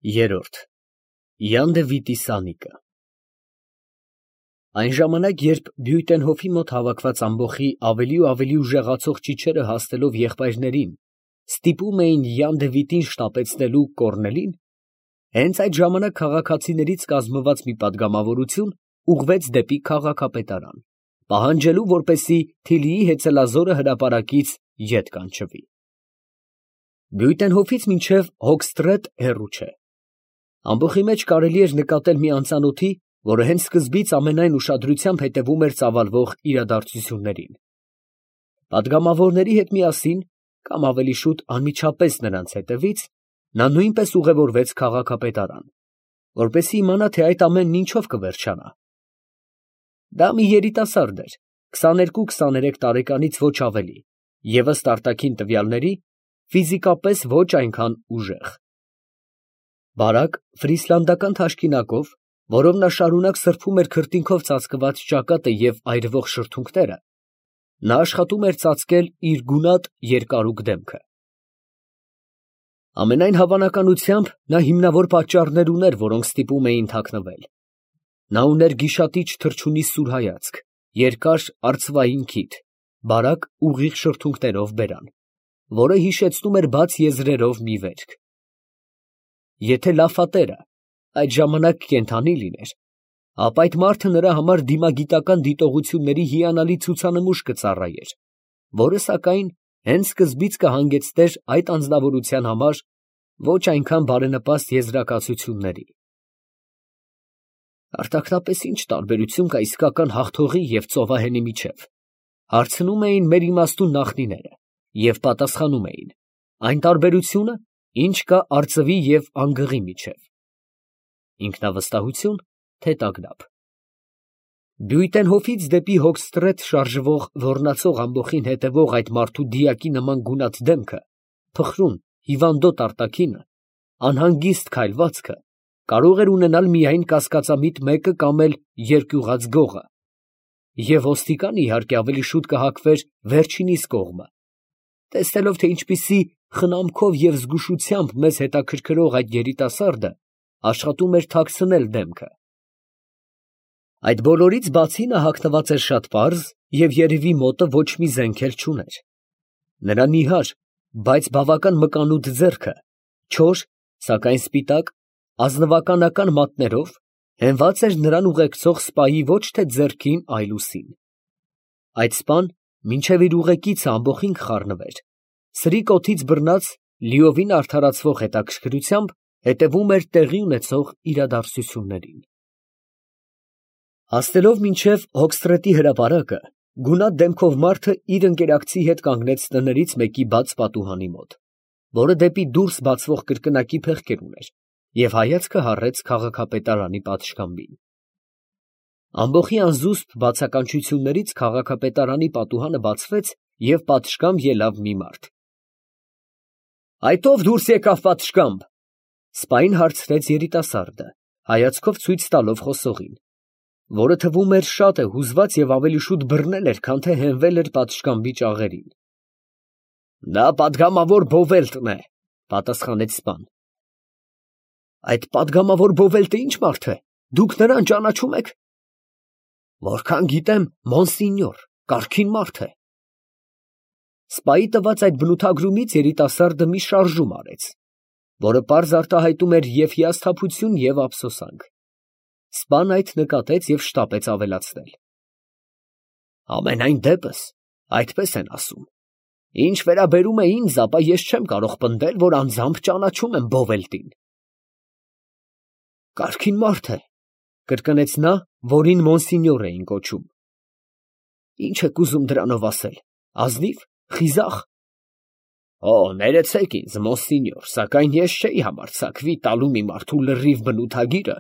Երորդ Յան Դևիթի սանիկը Այն ժամանակ, երբ Բյուտենհոֆի մոտ հավաքված ամբոխի ավելի ու ավելի ուժեղացող ճիչերը հասնելով եղբայրներին, ստիպում էին Յան Դևիթին շտապեցնելու կոռնելին, հենց այդ ժամանակ քաղաքացիներից կազմված մի պատգամավորություն ուղղվեց դեպի քաղաքապետարան, պահանջելու, որպեսզի Թիլիի հեծելազորը հրապարակից ետ կանչվի։ Բյուտենհոֆից մինչև Հոգստրետ հեռու չէ։ Ամբոխի մեջ կարելի էր նկատել մի անծանոթի, որը հենց սկզբից ամենայն ուշադրությամբ հետևում էր ծավալվող իրադարձություններին։ Պատգամավորների հետ միասին, կամ ավելի շուտ անմիջապես նրանց հետևից, նա նույնպես ուղևորվեց քաղաքապետարան, որպեսզի իմանա, թե այդ ամենն ինչով կվերջանա։ Դա մի երիտասարդ էր, 22-23 տարեկանից ոչ ավելի, և ըստ արտաքին տվյալների, ֆիզիկապես ոչ այնքան ուժեղ։ Բարակ ֆրիսլանդական թաշկինակով, որով նա շարունակ սրբում էր քրտինքով ծածկված ճակատը և այրվող շրթունքները, նա աշխատում էր ծածկել իր գունատ երկարուկ դեմքը։ Ամենայն հավանականությամբ նա հիմնավոր պատճառներ ուներ, որոնք ստիպում էին թաքնվել։ Նա ուներ գիշատիչ թռչունի սուր հայացք, երկար արծվային քիթ, բարակ ուղիղ շրթունքներով բերան, որը հիշեցնում էր բաց եզրերով մի վերք։ Եթե լաֆատերը այդ ժամանակ կենդանի լիներ, ապա այդ մարդը նրա համար դիմագիտական դիտողությունների հիանալի ցուցանմուշ կծառայեր, որը սակայն հենց սկզբից կհանգեցներ այդ անձնավորության համար ոչ այնքան բարենպաստ եզրակացությունների։ Արտաքնապես ի՞նչ տարբերություն կա իսկական հաղթողի և ծովահենի միջև, հարցնում էին մեր իմաստուն նախնիները, և պատասխանում էին. այն տարբերությունը, ինչ կա արծվի և անգղի միջև։ Ինքնավստահություն, թե տագնապ։ Բյուտենհոֆից դեպի Հոգստրետ շարժվող ոռնացող ամբոխին հետևող այդ մարդու դիակի նման գունատ դեմքը, փխրուն, հիվանդոտ արտաքինը, անհանգիստ քայլվածքը կարող էր ունենալ միայն կասկածամիտ մեկը կամ էլ երկյուղած գողը, և ոստիկանը, իհարկե, ավելի շուտ կհակվեր վերջինիս կողմը, տեսնելով, թե ինչպիսի խնամքով և զգուշությամբ մեզ հետաքրքրող այդ երիտասարդը աշխատում էր թաքցնել դեմքը։ Այդ բոլորից բացի նա հագնված էր շատ պարզ և երևի մոտը ոչ մի զենք էլ չուներ։ Նրա նիհար, բայց բավական մկանուտ ձեռքը, չոր, սակայն սպիտակ, ազնվականական մատներով, հենված էր նրան ուղեկցող սպայի ոչ թե ձեռքին, այլ ուսին։ Այդ սպան, մինչև իր ուղեկիցը ամբոխին կխառնվեր, սրիկ օդից բռնած, լիովին արդարացվող հետաքրքրությամբ հետևում էր տեղի ունեցող իրադարձություններին։ Հասնելով մինչև Հոգստրետի հրապարակը, գունատ դեմքով մարդը իր ընկերակցի հետ կանգնեց տներից մեկի բաց պատուհանի մոտ, որը դեպի դուրս բացվող կրկնակի փեղկեր ուներ, և հայացքը հառեց քաղաքապետարանի պատշգամբին։ Ամբոխի անզուսպ բացականչություններից քաղաքապետարանի պատուհանը բացվեց, և պատշգամբ ելավ մի մարդ։ «Այդ ո՞վ դուրս եկավ, պատշգամբ» ֊ սպային հարցրեց երիտասարդը, հայացքով ցույց տալով խոսողին, որը թվում էր շատ է հուզված և ավելի շուտ բռնել էր, քան թե հենվել էր պատշգամբի ճաղերին։ ֊ Դա պատգամավոր Բովելտն է, ֊ պատասխանեց սպան։ ֊ Այդ պատգամավոր Բովելտը ի՞նչ մարդ է, դուք նրան ճանաչում եք։ ֊ Որքան գիտեմ, մոնսինյոր, կարգին մարդ է։ Սպայի տված այդ բնութագրումից երիտասարդը մի շարժում արեց, որը պարզ արտահայտում էր և հիասթափություն, և ափսոսանք։ Սպան այդ նկատեց և շտապեց ավելացնել. Համենայն դեպս, այդպես են ասում։ Ինչ վերաբերում է ինձ, ապա ես չեմ կարող պնդել, որ անձամբ ճանաչում եմ Բովելտին։ Կարգին մարդ է, ֊ կրկնեց նա, որին մոնսինյոր էին կոչում։ Ինչ եք ուզում դրանով ասել, ազնի՞վ, խիզախ։ Օ, ներեցեք ինձ, մոնսինյոր, սակայն ես չէի համարձակվի տալու մի մարդու լրիվ բնութագիրը,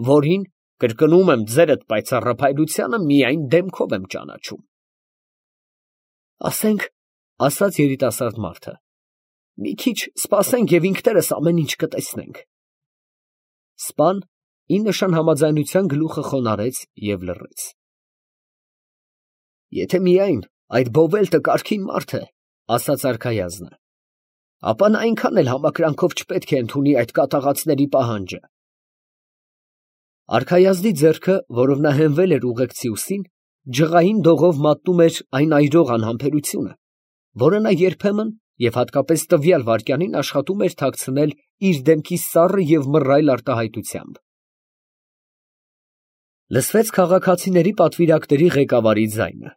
որին, կրկնում եմ, ձերդ պայծառափայլությանը միայն դեմքով եմ ճանաչում։ Ասենք, ֊ ասաց երիտասարդ մարդը, ֊ մի քիչ սպասենք և ինքներս ամեն ինչ կտեսնենք։ Սպան ի նշան համաձայնության գլուխը խոնարհեց և լռեց։ Եթե միայն այդ Բովելտը կարգին մարդ է, ֊ ասաց արքայազնը, ապա նա այնքան էլ համակրանքով չպետք է ընդունի այդ կատաղածների պահանջը։ Արքայազնի ձեռքը, որով նա հենվել էր ուղեկցի ուսին, ջղային դողով մատնում էր այն այրող անհամբերությունը, որը նա երբեմն և հատկապես տվյալ վայրկյանին աշխատում էր թաքցնել իր դեմքի սառը և մռայլ արտահայտությամբ։ Լսվեց քաղաքացիների պատվիրակների ղեկավարի ձայնը։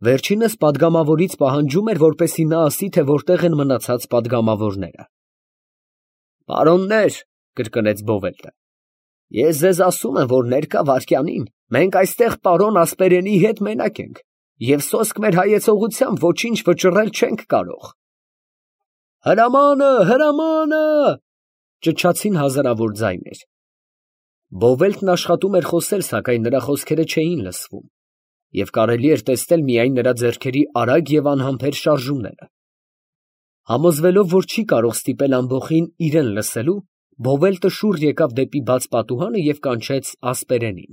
Վերջինս պատգամավորից պահանջում էր, որպեսզի նա ասի, թե որտեղ են մնացած պատգամավորները։ «Պարոննե՛ր», կրկնեց Բովելտը, «ես ձեզ ասում եմ, որ ներկա վայրկյանին մենք այստեղ պարոն Ասպերենի հետ մենակ ենք և սոսկ մեր հայեցողությամբ ոչինչ վճռել չենք կարող»։ «Հրամանը, հրամանը», ճչացին հազարավոր ձայներ։ Բովելտն աշխատում էր խոսել, սակայն նրա խոսքերը չէին լսվում, և կարելի էր տեսնել միայն նրա ձեռքերի արագ և անհամբեր շարժումները։ Համոզվելով, որ չի կարող ստիպել ամբոխին իրան լսելու, Բովելտը շուռ եկավ դեպի բաց պատուհանը և կանչեց Ասպերենին։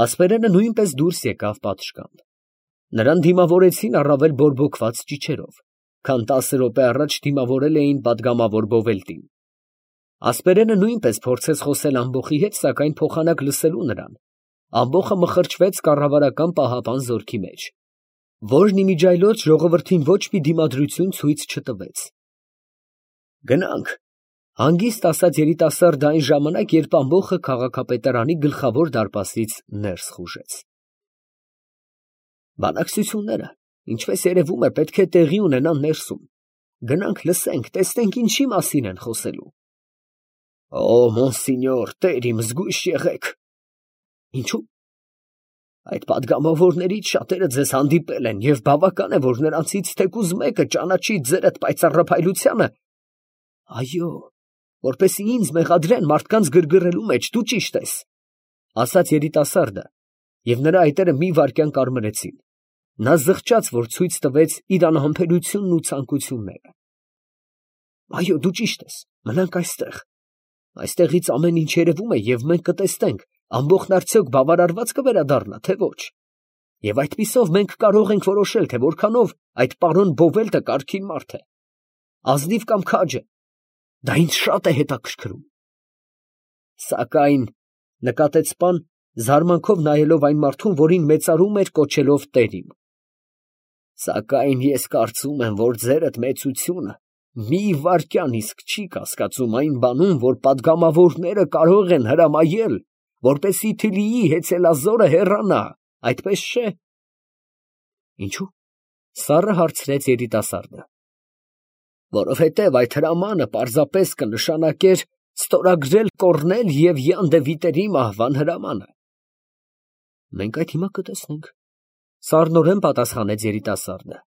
Ասպերենը նույնպես դուրս եկավ պատշգամբ։ Նրան դիմավորեցին առավել բորբոքված ճիչերով, քան 10 րոպե առաջ դիմավորել էին պատգամավոր Բովելտին։ Ասպերենը նույնպես փորձեց խոսել ամբոխի հետ, սակայն փոխանակ լսելու նրան, ամբոխը մխրճվեց կառավարական պահապան զորքի մեջ, որն իմիջիայլոց ժողովրդին ոչ մի դիմադրություն ցույց չտվեց։ «Գնանք», հանգիստ ասաց երիտասարդը այն ժամանակ, երբ ամբոխը քաղաքապետարանի գլխավոր դարպասից ներս խուժեց։ «Բանակցությունները, ինչպես երևում է, պետք է տեղի ունենան ներսում։ Գնանք լսենք, տեսնենք ինչի մասին են խոսելու»։ «Օ, մոնսինյոր, տեր իմ, զգույշ եղեք»։ «Ինչո՞ւ»։ «Այդ պատգամավորներից շատերը ձեզ հանդիպել են, և բավական է, որ նրանցից թեկուզ մեկը ճանաչի ձերդ պայծառափայլությանը»։ «Այո, որպեսզի ինձ մեղադրեն մարդկանց գրգռելու մեջ, դու ճիշտ ես», ասաց երիտասարդը, և նրա այտերը մի վայրկյան կարմրեցին։ Նա զղջաց, որ ցույց տվեց իր անհամբերությունն ու ցանկությունները։ «Այո, դու ճիշտ ես, մնանք այստեղ։ Այստեղից ամեն ինչ երևում է, և մենք կտեսնենք, ամբոխն արդյոք բավարարված կվերադառնա, թե ոչ։ Եվ այդպիսով մենք կարող ենք որոշել, թե որքանով այդ պարոն Բովելտը կարգին մարդ է, ազնիվ կամ քաջը, դա ինձ շատ է հետաքրքրում»։ «Սակայն», նկատեց պան, զարմանքով նայելով այն մարդուն, որին մեծարում էր կոչելով տեր իմ, «սակայն ես կարծում եմ, որ ձերդ մեծությունը մի վայրկյան իսկ չի կասկածում այն բանում, որ պատգամավորները կարող են հրամայել, որպեսզի Թիլիի հեծելազորը հեռանա, այդպես չէ»։ «Ինչո՞ւ», սառը հարցրեց երիտասարդը։ «Որովհետև այդ հրամանը պարզապես կնշանակեր ստորագրել Կոռնել և Յան դե Վիտերի մահվան հրամանը»։ «Մենք այդ հիմա կտեսնենք», սառնորեն պատասխանեց երիտասարդը։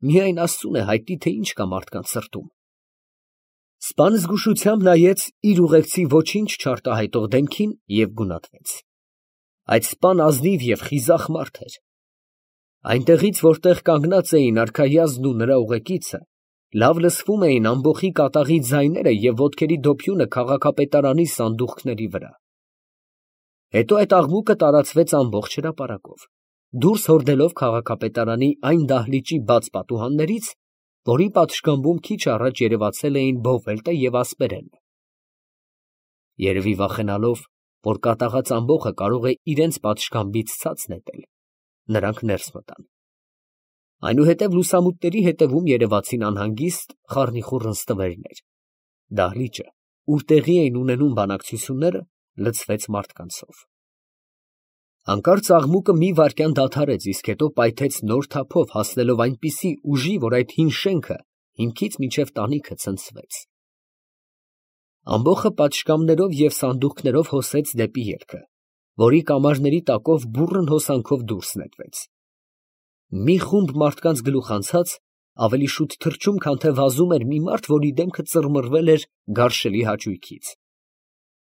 «Միայն Աստծուն է հայտնի, թե ինչ կա մարդկանց սրտում»։ Սպան զգուշությամբ նայեց իր ուղեկցի ոչինչ չարտահայտող դեմքին և գունատվեց։ Այդ սպան ազնիվ և խիզախ մարդ էր։ Այնտեղից, որտեղ կանգնած էին արքայազնն ու նրա ուղեկիցը, լավ լսվում էին ամբոխի կատաղի ձայները և ոտքերի դոփյունը քաղաքապետարանի սանդուղքների վրա։ Հետո այդ աղմուկը տարածվեց ամբողջ հրապարակով, դուրս հորդելով քաղաքապետարանի այն դահլիճի բաց պատուհաններից, որի պատշգամբում քիչ առաջ երևացել էին Բովելտը և Ասպերենը։ Երևի վախենալով, որ կատաղած ամբոխը կարող է իրենց պատշգամբից ցած նետել, նրանք ներս մտան։ Այնուհետև լուսամուտների ետևում երևացին անհանգիստ խառնիխուռ նստվերներ։ Դահլիճը, ուր տեղի էին ունենում բանակցությունները, լցվեց մարդկանցով։ Հանկարծ աղմուկը մի վայրկյան դադարեց, իսկ հետո պայթեց նոր թափով, հասնելով այնպիսի ուժի, որ այդ հին շենքը հիմքից մինչև տանիքը ցնցվեց։ Ամբոխը պատշգամբներով և սանդուղքներով հոսեց դեպի ելքը, որի կամարների տակով բուռն հոսանքով դուրս նետվեց։ Մի խումբ մարդկանց գլուխ անցած, ավելի շուտ թռչում, քան թե վազում էր մի մարդ, որի դեմքը ծռմռվել էր գարշելի հաճույքից։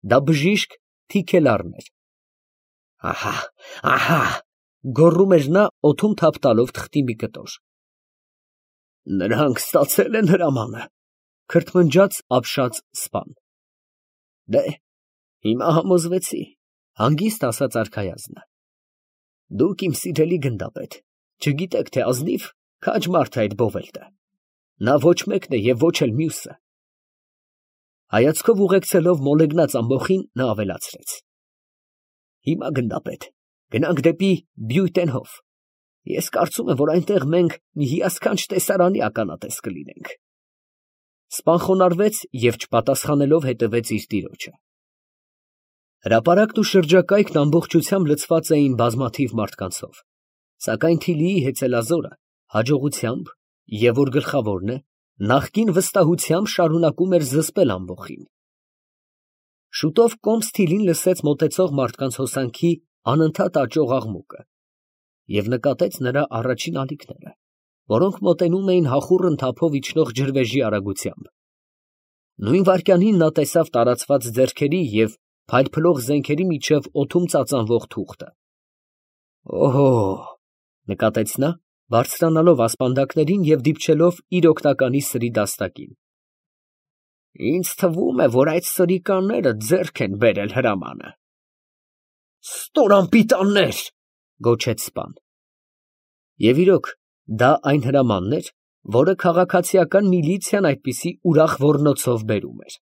Դա բժիշկ Թիքելառն էր։ «Ահա, ահա», գոռում էր նա, օդում թափ տալով թղթի մի կտոր։ «Նրանք ստացել են հրամանը», քրթմնջաց ապշած սպան։ «Դե, հիմա համոզվեցի», հանգիստ ասաց արքայազնը։ «Դուք, իմ սիրելի գնդապետ, չգիտեք, թե ազնիվ, քաջ մարդ է այդ Բովելտը։ նա ոչ մեկն է և ոչ էլ մյուսը։ Հայացքով ուղեկցելով մոլեգնած ամբոխին, նա ավելացրեց. Հիմա գնդապետ, գնանք դեպի Բյուտենհոֆ. ես կարծում եմ, որ այնտեղ մենք մի հիասքանչ տեսարանի ականատես կլինենք։ Սպան խոնարհվեց և չպատասխանելով հետևեց իր տիրոջը։ Հրապարակն ու շրջակայքն ամբողջությամբ լցված էին բազմաթիվ մարդկանցով, սակայն Թիլիի հեծելազորը հաջողությամբ և որ գլխավորն է, նախկին վստահությամբ շարունակում էր զսպել ամբոխին։ Շուտով կոմս Թիլին լսեց մոտեցող մարդկանց հոսանքի անընդհատ աճող աղմուկը և նկատեց նրա առաջին ալիքները, որոնք մոտենում էին հախուռն թափով իջնող ջրվեժի արագությամբ։ Նույն վայրկյանին նա տեսավ տարածված ձեռքերի և փայլփլող զենքերի միջև օդում ծածանվող թուղթը։ «Օհո՜», նկատեց նա, բարձրանալով ասպանդակներին և դիպչելով իր օգնականի սրի դաստակին։ «Ինձ թվում է, որ այդ սրիկաները ձեռք են բերել հրամանը»։ «Ստոր անպիտաններ», գոչեց սպան։ Եվ իրոք, դա այն հրամանն էր, որը քաղաքացիական միլիցիան այդպիսի ուրախ ոռնոցով բերում էր։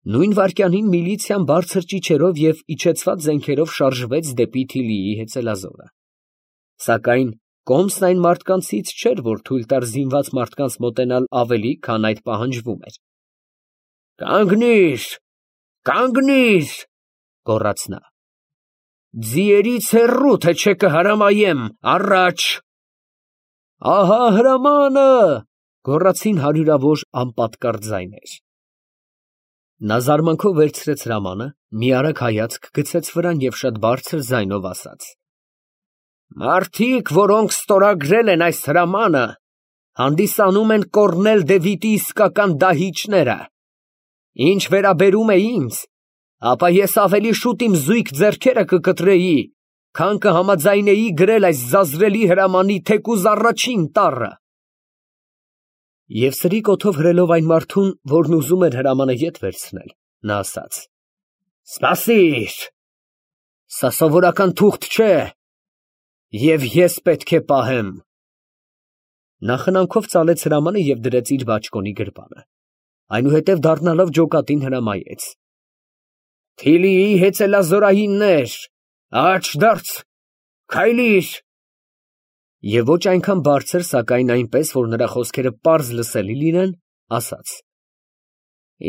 Նույն վայրկյանին միլիցիան բարձր ճիչերով և իջեցված զենքերով շարժվեց դեպի Թիլիի հեծելազորը։ Սակայն կոմսն այն մարդկանցից չէր, որ թույլ տար զինված մարդկանց մոտենալ ավելի, քան այդ պահանջվում էր։ «Կանգնի՛ր, կանգնի՛ր», գոռաց նա։ «Ձիերից հեռու, թե չէ կհրամայեմ, առաջ»։ «Ահա հրամանը», գոռացին հարյուրավոր անպատկառ ձայներ։ Նա զարմանքով վերցրեց հրամանը, մի արագ հայացք գցեց վրան և շատ բարձր ձայնով ասաց. «Մարդիկ, որոնք ստորագրել են այս հրամանը, հանդիսանում են Կոռնել դե Վիտի իսկական դահիճները։ Ինչ վերաբերում է ինձ, ապա ես ավելի շուտ իմ զույգ ձեռքերը կկտրեի, քան կհամաձայնեի գրել այս զազրելի հրամանի թեկուզ առաջին տառը»։ Եվ սրի կոթով հրելով այն մարդուն, որն ուզում էր հրամանը ետ վերցնել, նա ասաց. «Սպասիր, սա սովորական թուղթ չէ, և ես պետք է պահեմ»։ Նա խնամքով ծալեց հրամանը և դրեց իր բաճկոնի գրպանը, այնուհետև դառնալով ջոկատին հրամայեց. «Թիլիի հեծելազորայիններ, աջ դարձ, քայլիր»։ Եվ ոչ այնքան բարձր, սակայն այնպես, որ նրա խոսքերը պարզ լսելի լինեն, ասաց.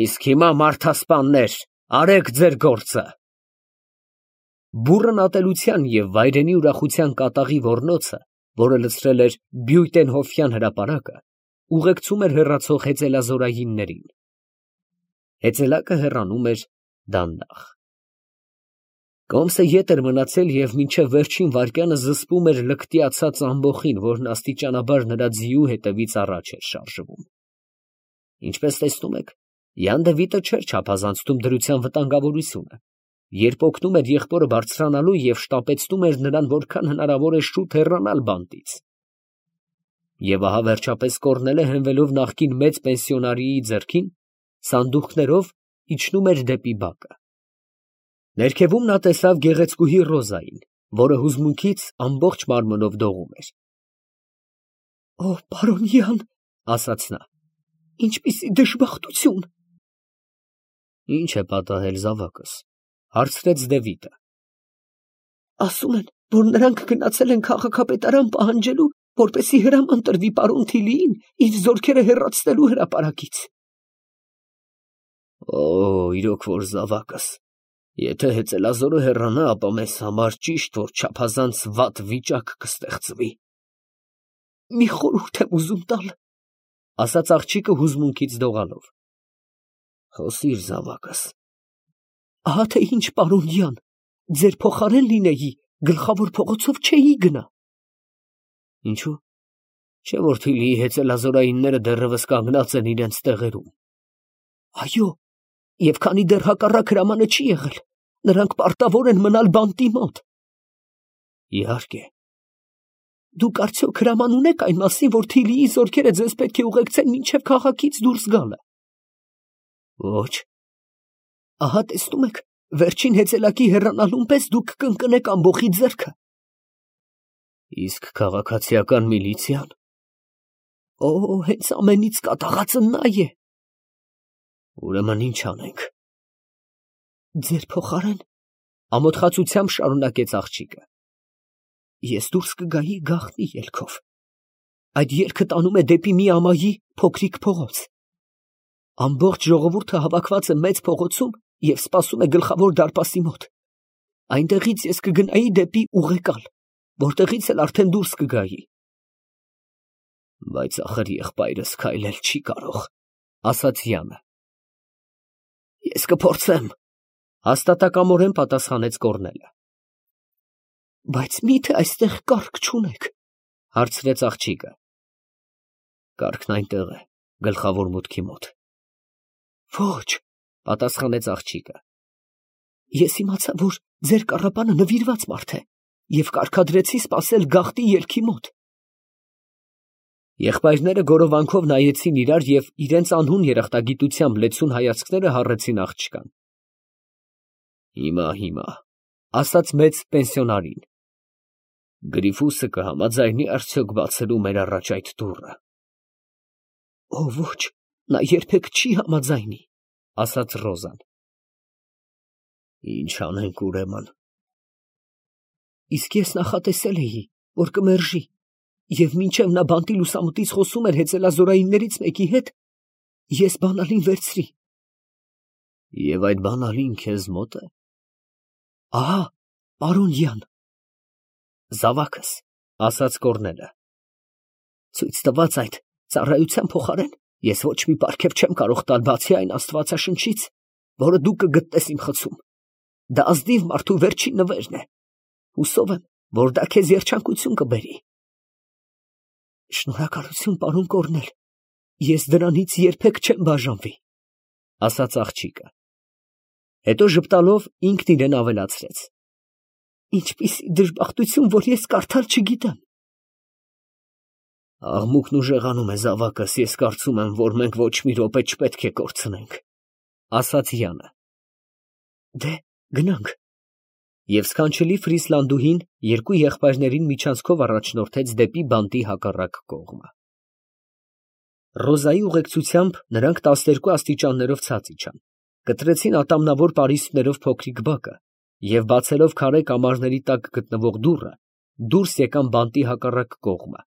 «Իսկ հիմա, մարդասպաններ, արեք ձեր գործը»։ Բուռն ատելության և վայրենի ուրախության կատաղի ոռնոցը, որը լցրել էր Բյուտենհոֆյան հրապարակը, ուղեկցում էր հեռացող հեծելազորայիններին։ Հեծելակը հեռանում էր դանդաղ։ Կոմսը ետ էր մնացել և մինչև վերջին վայրկյանը զսպում էր լկտիացած ամբոխին, որն աստիճանաբար նրա ձիու հետևից առաջ էր շարժվում։ Ինչպես տեսնում եք, Յան Դևիթը չէր չափազանցնում դրության վտանգավորությունը, երբ օգնում էր եղբորը բարձրանալու և շտապեցնում էր նրան որքան հնարավոր է շուտ հեռանալ բանտից։ Եվ ահա վերջապես Կոռնելը հենվելով նախկին մեծ պենսիոնարիի ձեռքին, սանդուղքներով իջնում էր դեպի բակը։ Ներքևում նա տեսավ գեղեցկուհի Ռոզային, որը հուզմունքից ամբողջ մարմնով դողում էր։ «Օ, պարոն Յան», ասաց նա, «ինչպիսի դժբախտություն»։ «Ի՞նչ է պատահել, զավակս», հարցրեց Դևիթը։ «Ասում են, որ նրանք գնացել են քաղաքապետարան պահանջելու, որպեսզի հրաման տրվի պարոն Թիլիին իր զորքերը հեռացնելու հրապարակից»։ «Օ, իրոք որ զավակս, եթե հեծելազորը հեռանա, ապա մեզ համար ճիշտ որ չափազանց վատ վիճակ կստեղծվի»։ «Մի խորհուրդ եմ ուզում տալ», ասաց աղջիկը հուզմունքից դողալով։ «Խոսիր, զավակս»։ «Ահա թե ինչ, պարոն Յան, ձեր փոխարեն լինեի, գլխավոր փողոցով չէի գնա»։ «Ինչո՞ւ, չէ՞ որ Թիլիի հեծելազորայինները դեռևս կանգնած են իրենց տեղերում»։ «Այո, և քանի դեռ հակառակ հրամանը չի եղել, նրանք պարտավոր են մնալ բանտի մոտ»։ «Իհարկե»։ «Դուք արդյոք հրաման ունեք այն մասին, որ Թիլիի զորքերը ձեզ պետք է ուղեկցեն մինչև քաղաքից դուրս գալը»։ «Ոչ»։ «Ահա տեսնում եք, վերջին հեծելակի հեռանալուն պես դուք կընկնեք ամբոխի ձեռքը»։ «Իսկ քաղաքացիական միլիցիան»։ Հենց ամենից կատաղածը նա է։ Ուրեմն ինչ անենք։ Ձեր փոխարեն, ամոթխացությամբ շարունակեց աղջիկը, ես դուրս կգայի գաղտնի ելքով։ Այդ ելքը տանում է դեպի մի ամայի փոքրիկ փողոց։ Ամբողջ ժողովուրդը հավաքված է մեծ փողոցում և սպասում է գլխավոր դարպասի մոտ։ Այնտեղից ես կգնայի դեպի ուղեկալ, որտեղից էլ արդեն դուրս կգայի։ Բայց ախր եղբայրս քայլել չի կարող, ասաց Յանը։ Ես կփորձեմ, հաստատակամորեն պատասխանեց Կոռնելը։ Բայց միթե այստեղ կառք չունեք, հարցրեց աղջիկը։ Կառքն այնտեղ է, գլխավոր մուտքի մոտ։ Ոչ, պատասխանեց աղջիկը։ Ես իմացա, որ ձեր կառապանը նվիրված մարդ է և կարգադրեցի սպասել գաղտնի ելքի մոտ։ Եղբայրները գորովանքով նայեցին իրար և իրենց անհուն երախտագիտությամբ լեցուն հայացքները հառեցին աղջկան։ Հիմա, ասաց մեծ պենսիոնարին, Գրիֆուսը կհամաձայնի արդյոք բացելու մեր առաջ այդ դուռը։ Ոչ, նա երբեք չի համաձայնի, ասաց Ռոզան։ Ինչ անենք ուրեմն։ Իսկ ես նախատեսել էի, որ կմերժի, և մինչև նա բանտի լուսամուտից խոսում էր հեծելազորայիններից մեկի հետ, ես բանալին վերցրի։ Եվ այդ բանալին քեզ մոտ է։ Ահա, պարոն Յան։ Զավակս, ասաց Կոռնելը, ցույց տված այդ ծառայության փոխարեն ես ոչ մի պարգև չեմ կարող տալ բացի այն աստվածաշնչից, որը դու կգտնես իմ խցում։ Դա ազնիվ մարդու վերջին նվերն է։ Հուսով եմ, որ դա քեզ երջանկություն կբերի։ Շնորհակալություն, պարոն Կոռնել, ես դրանից երբեք չեմ բաժանվի, ասաց աղջիկը։ Հետո ժպտալով ինքն իրեն ավելացրեց. Ինչպիսի դժբախտություն, որ ես կարդալ չգիտեմ։ Աղմուկն ուժեղանում է, զավակս, ես կարծում եմ, որ մենք ոչ մի րոպե չպետք է կորցնենք, ասաց Յանը։ Դե, գնանք։ Եվ սքանչելի Ֆրիսլանդուհին երկու եղբայրներին միջանցքով առաջնորդեց դեպի բանտի հակառակ կողմը։ Ռոզայի ուղեկցությամբ նրանք 12 աստիճաններով ցած իջան, կտրեցին ատամնավոր պարիսպներով փոքրիկ բակը և բացելով քարե կամարների տակ գտնվող դուռը, դուրս եկան բանտի հակառակ կողմը,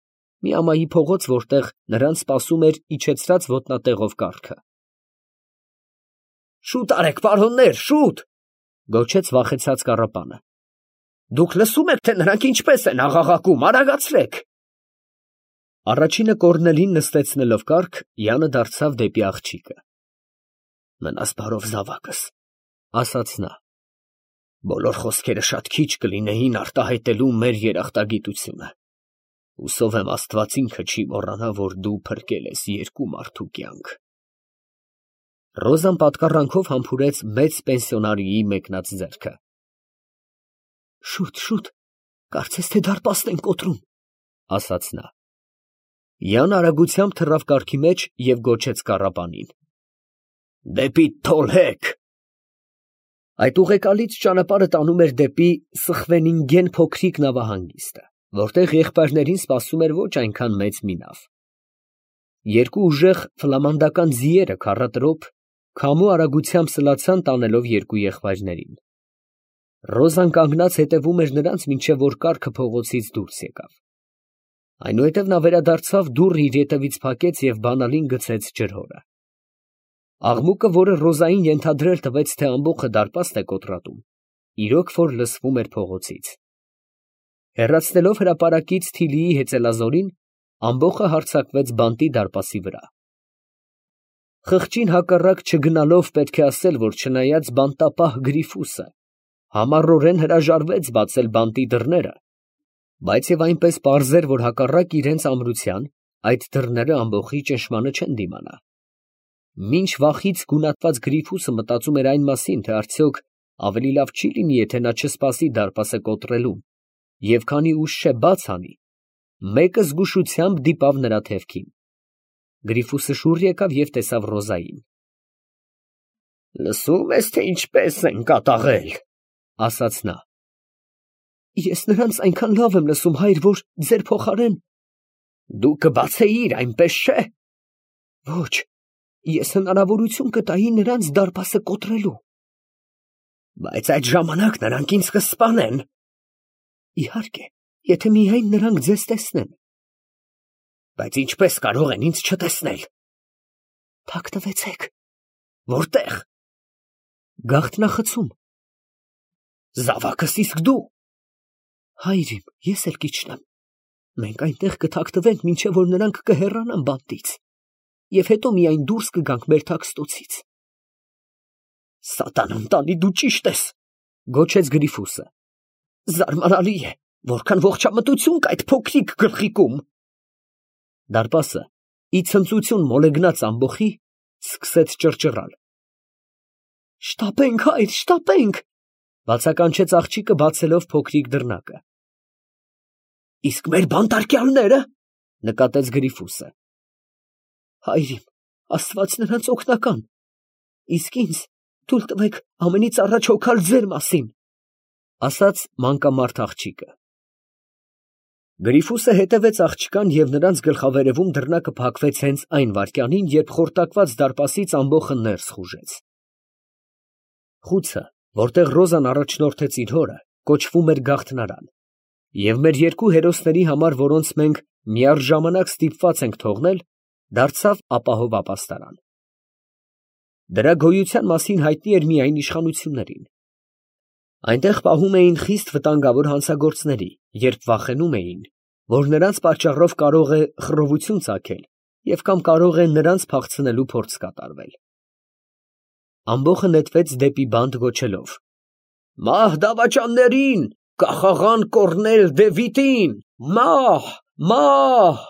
մի ամայի փողոց, որտեղ նրանց սպասում էր իջեցրած ոտնատեղով կառքը։ Շուտ արեք, պարոններ, շուտ, գոչեց վախեցած կառապանը։ Դուք լսում եք, թե նրանք ինչպես են աղաղակում, արագացրեք։ Առաջինը Կոռնելին նստեցնելով կառք, Յանը դարձավ դեպի աղջիկը։ Մնաս բարով, զավակս, ասաց նա։ Բոլոր խոսքերը շատ քիչ կլինեին արտահայտելու մեր երախտագիտությունը։ Հուսով եմ Աստված ինքը չի մոռանա, որ դու փրկել ես երկու մարդու կյանք։ Ռոզան պատկառանքով համբուրեց մեծ պենսիոնարիի մեկնած ձեռքը։ Շուտ, կարծես թե դարպասն են կոտրում, ասաց նա։ Յան արագությամբ թռավ կառքի մեջ և գոչեց կառապանին. Դեպի Թոլհեկ։ Այդ ուղեկալից ճանապարհը տանում էր դեպի Սխվենինգեն փոքրիկ նավահանգիստը, որտեղ եղբայրներին սպասում էր ոչ այնքան մեծ մի նավ։ Երկու ուժեղ ֆլամանդական ձիերը քառատրոփ քամու արագությամբ սլացան տանելով երկու եղբայրներին։ Ռոզան կանգնած հետևում էր նրանց, մինչև որ կառքը փողոցից դուրս եկավ։ Այնուհետև նա վերադարձավ, դուռը իր ետևից փակեց և բանալին գցեց ջրհորը։ Աղմուկը, որը Ռոզային ենթադրել տվեց, թե ամբոխը դարպաստ է կոտրատում, իրոք որ լսվում էր փողոցից։ Հեռացնելով հրապարակից Թիլիի հեծելազորին, ամբոխը հարձակվեց բանտի դարպասի վրա։ Խղճին հակառակ չգնալով պետք է ասել, որ չնայած բանտապահ Գրիֆուսը համառորեն հրաժարվեց բացել բանտի դռները, բայց և այնպես պարզ էր, որ հակառակ իրենց ամրության, այդ դռները ամբոխի ճնշմանը չեն դիմանա։ Մինչ վախից գունատված Գրիֆուսը մտածում էր այն մասին, թե արդյոք ավելի լավ չի լինի, եթե նա չսպասի դարպասը կոտրելուն, և քանի ուշ չէ բաց անի, մեկը զգուշությամբ դիպավ նրա թևքին։ Գրիֆուսը շուռ եկավ և տեսավ Ռոզային։ Լսում ես, թե ինչպես են կատաղել, ասաց նա։ Ես նրանց այնքան լավ եմ լսում, հայր, որ ձեր փոխարեն։ Դու կբացեիր, այնպես չէ։ Ոչ, ես հնարավորություն կտայի նրանց դարպասը կոտրելու։ Բայց այդ ժամանակ նրանք ինձ կսպանեն։ Իհարկե, եթե միայն նրանք ձեզ տեսնեն։ Բայց ինչպես կարող են ինձ չտեսնել։ Թակ տվեցեք։ Որտեղ։ Գաղտնախցում։ Զավակս իսկ դու։ Հայր իմ, ես էլ կիջնեմ։ Մենք այնտեղ կթաքնվենք, մինչև որ նրանք կհեռանան բանտից, և հետո միայն դուրս կգանք մեր թաքստոցից։ Սատանան տանի, դու ճիշտ ես, գոչեց Գրիֆուսը։ Զարմանալի է, որքան ողջամտություն կա այդ փոքրիկ գլխիկում։ Դարպասը, ի ցնծություն մոլեգնած ամբոխի, սկսեց ճռճռալ։ Շտապենք, հայր, շտապենք, բացականչեց աղջիկը, բացելով փոքրիկ դռնակը։ Իսկ մեր բանտարկյալները, նկատեց Գրիֆուսը։ Հայր իմ, Աստված նրանց օգնական, իսկ ինձ թույլ տվեք ամենից առաջ հոգալ ձեր մասին, ասաց մանկամարդ աղջիկը։ Գրիֆուսը հետևեց աղջկան և նրանց գլխավերևում դռնակը փակվեց հենց այն վայրկյանին, երբ խորտակված դարպասից ամբոխը ներս խուժեց։ Խուցը, որտեղ Ռոզան առաջնորդեց իր հորը, կոչվում էր Գաղթնարան, և մեր երկու հերոսների համար, որոնց մենք միառժամանակ ստիպված ենք թողնել, դարձավ ապահով ապաստարան։ Դրա գոյության մասին հայտնի էր միայն իշխանություններին։ Այնտեղ պահում էին խիստ վտանգավոր հանցագործների, երբ վախենում էին, որ նրանց պատճառով կարող է խռովություն ծագել և կամ կարող է նրանց փախցնելու փորձ կատարվել։ Ամբոխը նետվեց դեպի բանտ գոչելով. Մահ դավաճաններին, կախաղան կորնել Դևիթին, մահ, մահ։